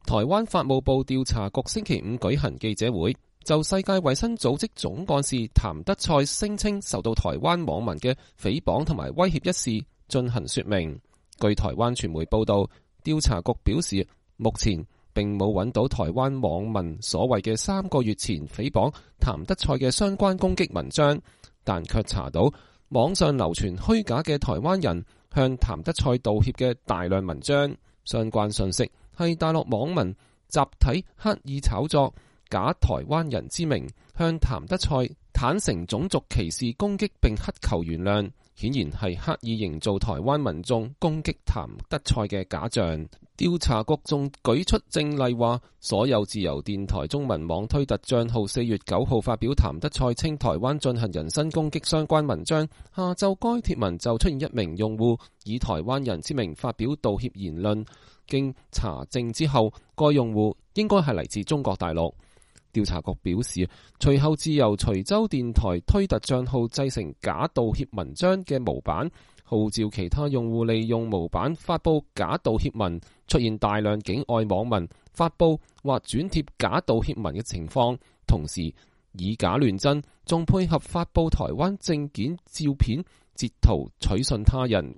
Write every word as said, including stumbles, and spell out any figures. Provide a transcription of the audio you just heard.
台灣法務部調查局星期五舉行記者會，就世界衛生組織總幹事譚德塞聲稱受到台灣網民嘅誹謗同埋威脅一事進行說明。據台灣傳媒報道，調查局表示，目前並冇揾到台灣網民所謂嘅三個月前誹謗譚德塞嘅相關攻擊文章，但卻查到網上流傳虛假嘅台灣人向譚德塞道歉嘅大量文章。相關信息係大陸網民集體刻意炒作，假台灣人之名向譚德塞坦誠種族歧視攻擊並乞求原諒，顯然係刻意營造台灣民眾攻擊譚德塞嘅假象。調查局仲舉出證例，話所有自由電台中文網推特賬號四月九號發表譚德塞稱台灣進行人身攻擊相關文章，下晝該帖文就出現一名用戶以台灣人之名發表道歉言論，經查證之後，該用戶應該係嚟自中國大陸。調查局表示，隨後自由隨州電台推特賬號製成假道歉文章嘅模板，號召其他用戶利用模板發佈假道歉文，出現大量境外網民發佈或轉貼假道歉文嘅情況，同時以假亂真，仲配合發佈台灣證件照片截圖取信他人。